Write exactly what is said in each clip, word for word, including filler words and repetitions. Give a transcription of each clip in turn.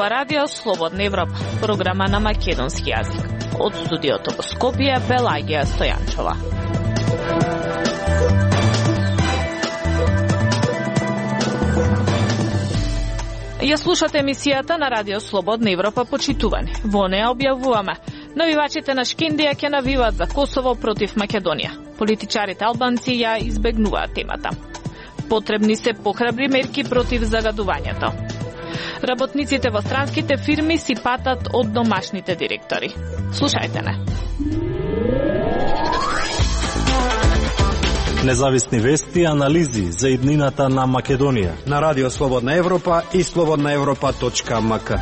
ова радио Слободна Европа, програма на македонски јазик. Од студиото во Скопје, Пелагија Стојанчова. Ја слушате емисијата на радио Слободна Европа почитувани. Во неа објавуваме: навивачите на Шкендија ќе навиваат за Косово против Македонија. Политичарите албанци ја избегнуваат темата. Потребни се похрабри мерки против загадувањето. Работниците во странските фирми си патат од домашните директори. Слушајте не. Независни вести и анализи за иднината на Македонија на радио Слободна Европа и слободна европа точка ем ка.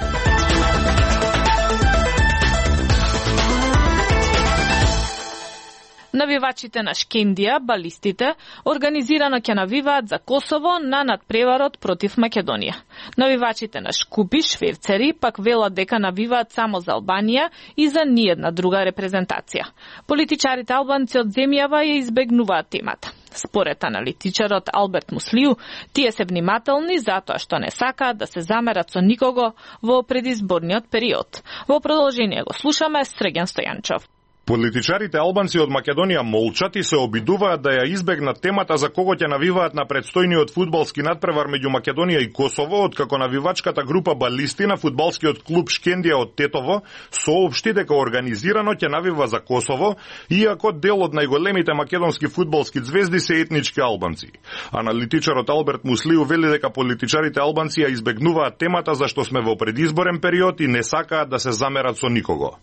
Навивачите на Шкендија, балистите, организирано ќе навиваат за Косово на надпреварот против Македонија. Навивачите на Шкупи, шверцери, пак велат дека навиваат само за Албанија и за ниедна друга репрезентација. Политичарите албанци од земјава ја избегнуваат темата. Според аналитичарот Алберт Муслиу, тие се внимателни затоа што не сакаат да се замерат со никого во предизборниот период. Во продолжение го слушаме Срѓан Стојанчов. Политичарите албанци од Македонија молчат и се обидуваат да ја избегнат темата за кого ќе навиваат на предстојниот фудбалски надпревар меѓу Македонија и Косово, откако навивачката група балисти на фудбалскиот клуб Шкендија од Тетово соопшти дека организирано ќе навива за Косово, иако дел од најголемите македонски фудбалски звезди се етнички албанци. Аналитичарот Алберт Муслиу вели дека политичарите албанци ја избегнуваат темата зашто сме во предизборен период и не сакаат да се замерат со никого.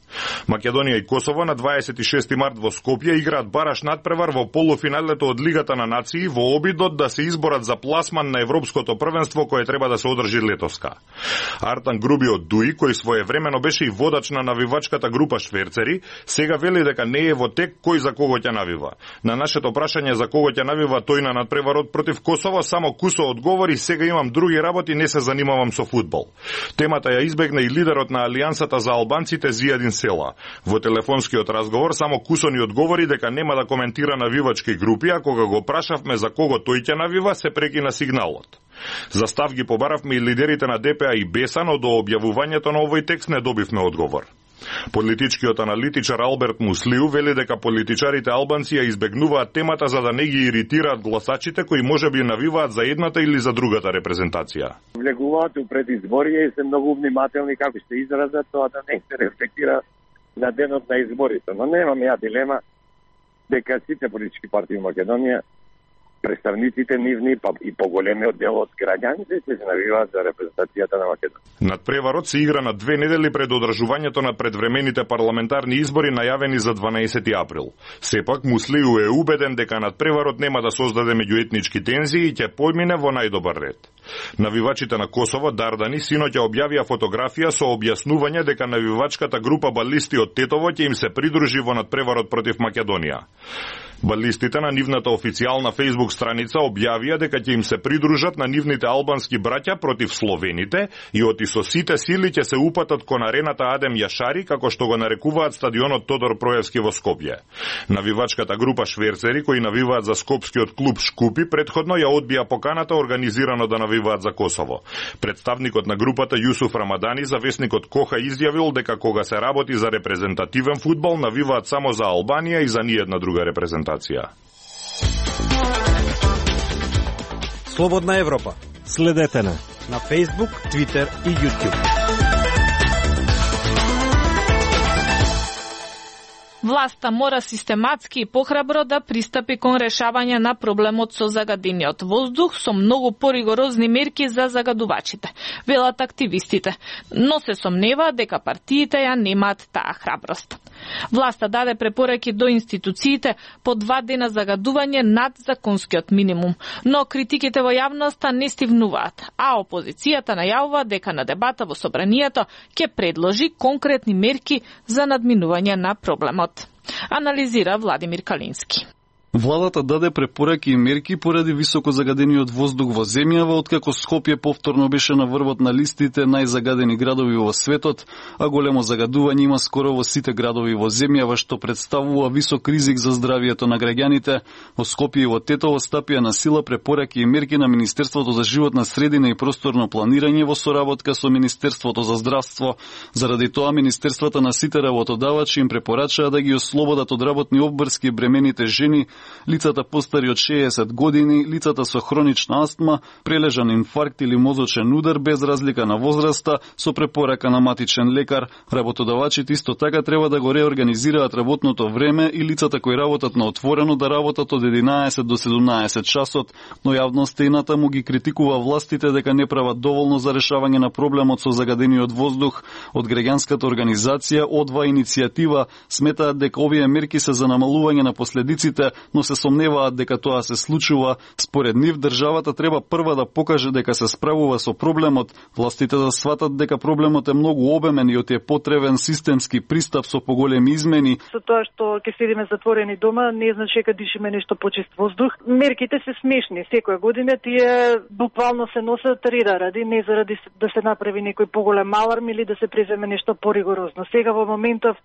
Македонија и Косово на дваесет и шести март во Скопје играат бараш надпревар во полуфиналето од Лигата на нации во обидот да се изборат за пласман на Европското првенство кое треба да се одржи летоска. Артан Груби од Дуи, кој своевремено беше и водач на навивачката група шверцери, сега вели дека не е во тек кој за кого ќе навива. На нашето прашање за кого ќе навива тој на надпреварот против Косово, само Кусо одговори: сега имам други работи, не се занимавам со фудбал. Темата ја избегна и лидерот на Алијансата за албанците Зијадин Села. Во телефонскиот разговор само Кусо ни одговори дека нема да коментира навивачки групи, а кога го прашавме за кого тој ќе навива, се прекина сигналот. За став ги побаравме и лидерите на Д П А и Беса, но до објавувањето на овој текст не добивме одговор. Политичкиот аналитичар Алберт Муслиу вели дека политичарите албанци ја избегнуваат темата за да не ги иритираат гласачите кои можеби навиваат за едната или за другата репрезентација. Влегуваат у предизборие и се многу внимателни како што изразат тоа да не се рефлектира на денот на изборите. Но немам ја дилема дека сите политички партии во Македонија, представниците нивни, па и поголемиот дел од граѓаните се навиваат за репрезентацијата на Македонија. Надпреварот се игра на две недели пред одржувањето на предвремените парламентарни избори најавени за дванаесети април. Сепак Муслиу е убеден дека надпреварот нема да создаде меѓуетнички тензии и ќе помине во најдобар ред. Навивачите на Косово, Дардани, синоќа објавија фотографија со објаснување дека навивачката група балисти од Тетово ќе им се придружи во надпреварот против Македонија. Балистите на нивната официјална Facebook страница објавија дека ќе им се придружат на нивните албански браќа против словените и оти со сите сили ќе се упатат кон арената Адем Јашари, како што го нарекуваат стадионот Тодор Проевски во Скопје. Навивачката група шверцери кои навиваат за скопскиот клуб Шкупи претходно ја одбија поканата организирано да навиваат за Косово. Представникот на групата Јусуф Рамадани за весникот Коха изјавил дека кога се работи за репрезентативен фудбал навиваат само за Албанија и за ниедна друга репрезентација. Слободна Европа. Следете на на Facebook, Twitter и YouTube. Власта мора систематски и похрабро да пристапи кон решавање на проблемот со загадениот воздух со многу поригорозни мерки за загадувачите, велат активистите, но се сомнева дека партиите ја немаат таа храброст. Власта даде препораки до институциите по два дена загадување над законскиот минимум, но критиките во јавноста не стивнуваат, а опозицијата најавува дека на дебата во собранието ќе предложи конкретни мерки за надминување на проблемот. Анализира Владимир Калински. Владата даде препораки и мерки поради високо загадениот воздух во земјава, откако Скопје повторно беше на врвот на листите најзагадени градови во светот, а големо загадување има скоро во сите градови во земјава, што представува висок ризик за здравието на граѓаните. Во Скопје и во Тетово стапија на сила препораки и мерки на Министерството за животна средина и просторно планирање во соработка со Министерството за здравство. Заради тоа министерствата на сите работодавачи им препорачаа да ги ослободат од работни обврски бремените жени, лицата постари од шеесет години, лицата со хронична астма, прележан инфаркт или мозочен удар без разлика на возраста, со препорака на матичен лекар. Работодавачите исто така треба да го реорганизираат работното време и лицата кои работат на отворено да работат од единаесет до седумнаесет часот, но јавноста и натаму ги критикува властите дека не прават доволно за решавање на проблемот со загадениот воздух. Од граѓанската организација Одва иницијатива сметаат дека овие мерки се за намалување на последиците, но се сомневаат дека тоа се случува. Според нив, државата треба прва да покаже дека се справува со проблемот, властите да сватат дека проблемот е многу обемен и од е потребен системски пристап со поголеми измени. Со тоа што ќе седиме затворени дома, не значи дека дишиме нешто почист воздух. Мерките се смешни. Секоја година тие буквално се носат рида ради, не заради да се направи некој поголем аларм или да се преземе нешто поригорозно. Сега во моментов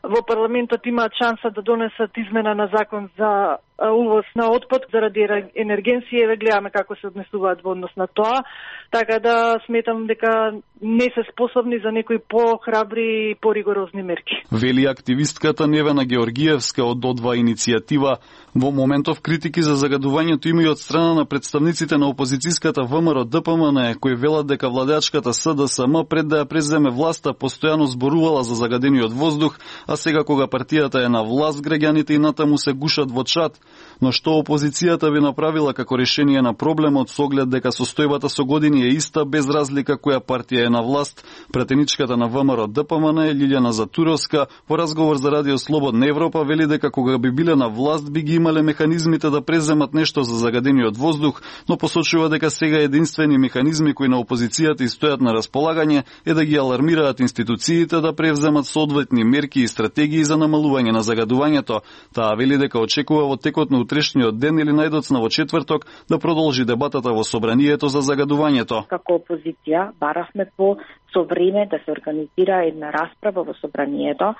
во парламентот имаат шанса да донесат измена на закон за увоз на отпад заради енергенција, гледаме како се однесуваат во однос на тоа, така да сметам дека не се способни за некои похрабри и поригорозни мерки. Вели активистката Невена Георгиевска од Одва иницијатива. Во моментов критики за загадувањето има и од страна на представниците на опозицијската ВМРО Д П М Н, кои велат дека владеачката С Д С М пред да ја преземе власта постојано зборувала за загадениот воздух, а сега кога партијата е на власт, граѓаните и натаму се гушат во чат. Но што опозицијата би направила како решение на проблемот со оглед дека состојбата со години е иста без разлика која партија е на власт? Пратеничката на ВМРО Д П М Н Лилјана Затуровска во разговор за Радио Слободна Европа вели дека кога би биле на власт би ги имале механизмите да преземат нешто за загадениот воздух, но посочува дека сега единствени механизми кои на опозицијата и стојат на располагање е да ги алармираат институциите да превземат соодветни мерки и стратегии за намалување на загадувањето. Таа вели дека очекува во текот на утрешниот ден или најдоцна во четврток да продолжи дебатата во собранието за загадувањето. Како опозиција баравме по со време да се организира една расправа во собранието,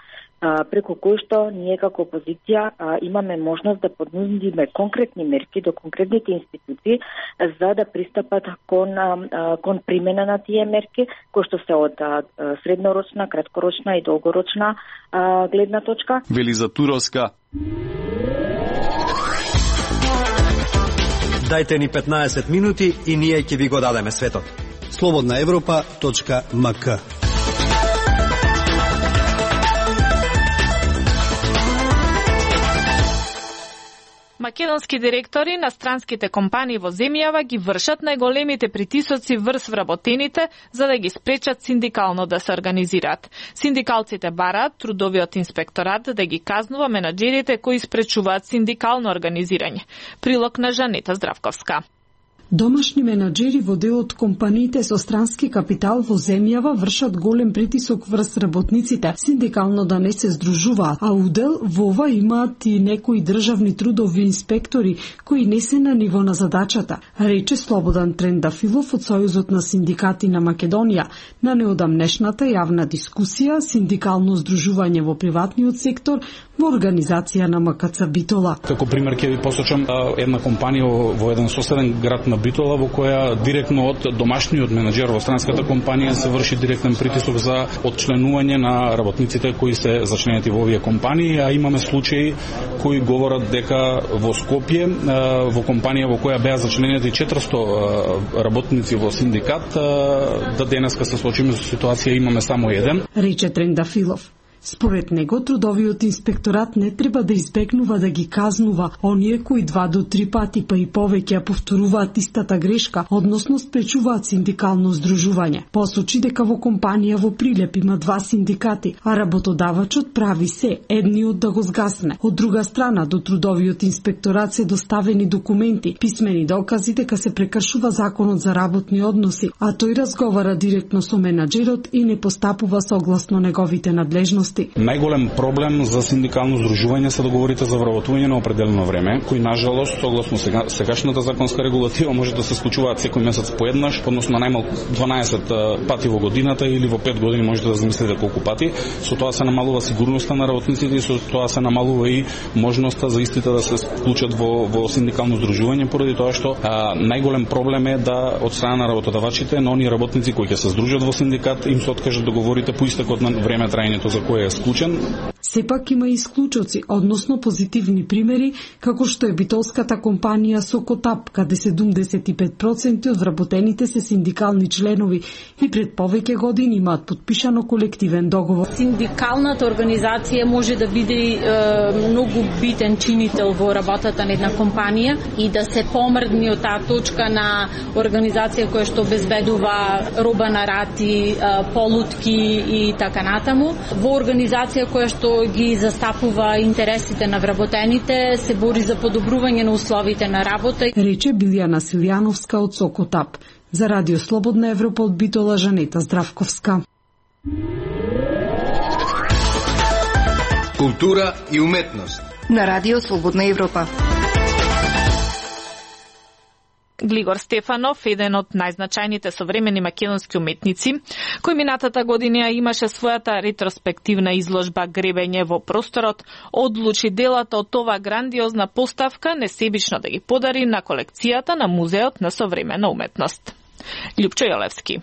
преку кој што ние како опозиција имаме можност да понудиме конкретни мерки до конкретните институции за да пристапат кон кон примена на тие мерки, кои што се од среднорочна, краткорочна и долгорочна гледна точка. Вели Затуровска. Дајте ни петнаесет минути и ние ќе ви го дадеме светот. слободна европа точка м к. Македонски директори на странските компании во земјава ги вршат најголемите притисоци врз вработените за да ги спречат синдикално да се организираат. Синдикалците бараат трудовиот инспекторат да ги казнува менаџерите кои спречуваат синдикално организирање. Прилог на Жанета Здравковска. Домашни менаџери во дел од компаниите со странски капитал во земјава вршат голем притисок врз работниците синдикално да не се здружуваат, а удел во ова имаат и некои државни трудови инспектори кои не се на ниво на задачата, рече Слободан Трендафилов од Сојузот на синдикати на Македонија на неодамнешната јавна дискусија синдикално здружување во приватниот сектор во организација на М К Ц Битола. Како пример ќе ви посочам една компанија во еден соседен град на Битола во која директно од домашниот менаџер во странската компанија се врши директен притисок за отчленување на работниците кои се зачленети во овие компании, а имаме случаи кои говорат дека во Скопје во компанија во која беа зачленети четиристо работници во синдикат, да денеска се случиме со ситуација имаме само еден. Рече Трендафилов. Според него, трудовиот инспекторат не треба да избегнува да ги казнува оние кои два до три пати па и повеќе повторуваат истата грешка, односно спречуваат синдикално здружување. Посочи дека во компанија во Прилеп има два синдикати, а работодавачот прави се едниот да го згасне. Од друга страна, до трудовиот инспекторат се доставени документи, писмени докази дека се прекршува законот за работни односи, а тој разговара директно со менаџерот и не постапува согласно неговите надлежности. активности. Најголем проблем за синдикално здружување се договорите за вработување на определено време, кои нажалост согласно сега, сегашната законска регулатива може да се случуваат секој месец поеднаш, односно најмалку дванаесет пати во годината или во пет години можете да замислите колку пати. Со тоа се намалува сигурноста на работниците и со тоа се намалува и можноста за истите да се вклучат во, во синдикално здружување, поради тоа што а, најголем проблем е да од страна на работодавачите на оние работници кои ќе се здружат во синдикат им се откажат договорите по истекот на време траењето за кое е склучен. Сепак има исклучоци, односно позитивни примери, како што е битолската компанија Сокотап, каде седумдесет и пет проценти од вработените се синдикални членови и пред повеќе години имаат подпишано колективен договор. Синдикалната организација може да биде е, многу битен чинител во работата на една компанија и да се помрдни од таа точка на организација која што обезбедува роба на рати, полутки и така натаму, во организација која што ги застапува интересите на вработените, се бори за подобрување на условите на работа. Рече Билјана Силјановска од Сокотап. За Радио Слободна Европа од Битола, Жанета Здравковска. Култура и уметност на Радио Слободна Европа. Глигор Стефанов, еден од најзначајните современи македонски уметници, кој минатата година имаше својата ретроспективна изложба Гребење во просторот, одлучи делата од ова грандиозна поставка несебично да ги подари на колекцијата на Музеот на современа уметност. Љупчо Јолевски.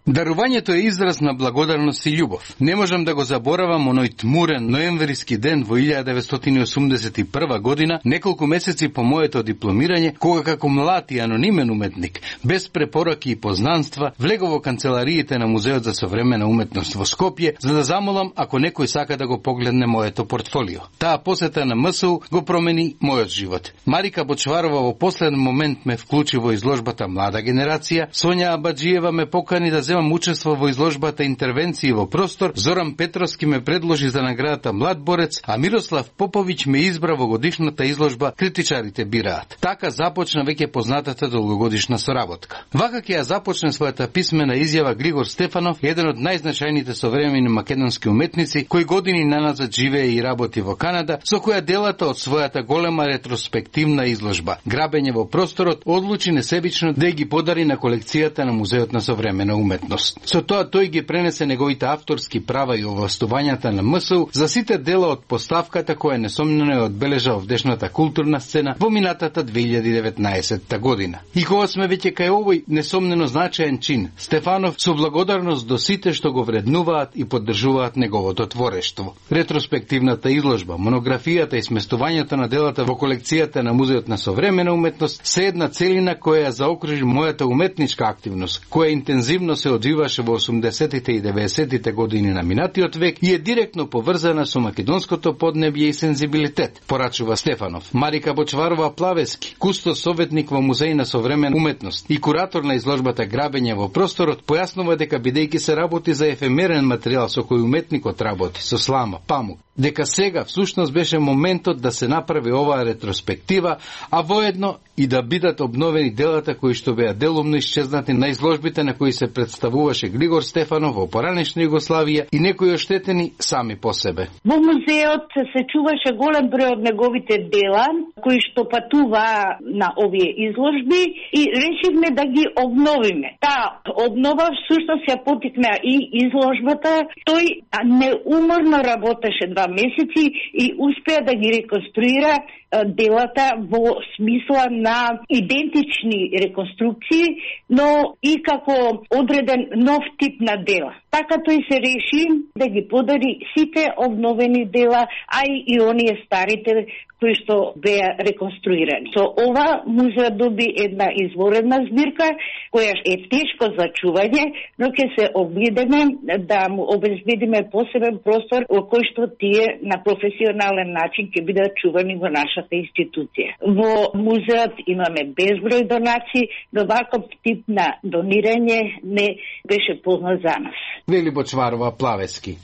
Дарувањето е израз на благодарност и љубов. Не можам да го заборавам оној тмурен ноемвриски ден во илјада деветстотини осумдесет и прва година, неколку месеци по моето дипломирање, кога како млад и анонимен уметник, без препораки и познанства, влегов во канцелариите на Музеот за современа уметност во Скопје, за да замолам ако некој сака да го погледне моето портфолио. Таа посета на МСУ го промени мојот живот. Марика Бочварова во последен момент ме вклучи во изложбата Млада генерација, Сонја Абаджиева ме покани да земам учество во изложбата Интервенции во простор, Зоран Петровски ме предложи за наградата Млад борец, а Мирослав Поповиќ ме избра во годишната изложба Критичарите бираат. Така започна веќе познатата долгогодишна соработка. Вака ќе ја започне својата писмена изјава Глигор Стефанов, еден од најзначајните современи македонски уметници, кој години наназад живее и работи во Канада, со која делата од својата голема ретроспективна изложба Грабење во просторот одлучи несебично да ги подари на колекцијата на Музеот на современа уметност. Со тоа тој ги пренесе неговите авторски права и овластувањата на МСУ за сите дела од поставката која несомнено е одбележа овдешната културна сцена во минатата две илјади и деветнаесетта година. И кога сме веќе кај овој несомнено значаен чин, Стефанов со благодарност до сите што го вреднуваат и поддржуваат неговото творештво. Ретроспективната изложба, монографијата и сместувањето на делата во колекцијата на Музеот на современа уметност се една целина која ја заокружи мојата уметничка активност, која интензивно се одвиваше во осумдесетите и деветдесетите години на минатиот век и е директно поврзана со македонското поднебје и сензибилитет, порачува Стефанов. Марика Бочварова Плавески, кустос советник во Музеј на современа уметност и куратор на изложбата Грабење во просторот, појаснува дека бидејќи се работи за ефемерен материјал со кој уметникот работи, со слама, памук, дека сега всушност беше моментот да се направи оваа ретроспектива, а воедно и да бидат обновени делата кои што беа делумно исчезнати на изложбите на кои се представуваше Глигор Стефанов во поранешна Југославија и некои оштетени сами по себе. Во музеот се чуваше голем број од неговите дела кои што патуваа на овие изложби и решивме да ги обновиме. Таа обнова всушност ја потикна и изложбата. Тој неуморно работеше два месеци и успеа да ги реконструира делата во смисла на идентични реконструкции, но и како одреден нов тип на дела. Така тој се реши да ги подари сите обновени дела, а и оние старите кои што беа реконструирани. Со ова музеот доби една изворедна збирка која е тешко за чување, но ќе се обидеме да му обезбедиме посебен простор во кој што тие на професионален начин ќе бидат чувани во нашата институција. Во музеот имаме безброј донации, но ваков тип на донирање не беше познат за нас. Вели Бочварова Плавески.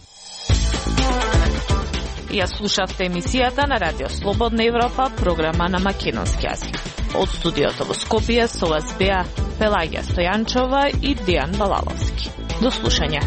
Ја слушавте емисијата на Радио Слободна Европа, програма на македонски јазик. Од студиото во Скопје со вас беа Пелагија Стојанчова и Дејан Балаловски. До слушање.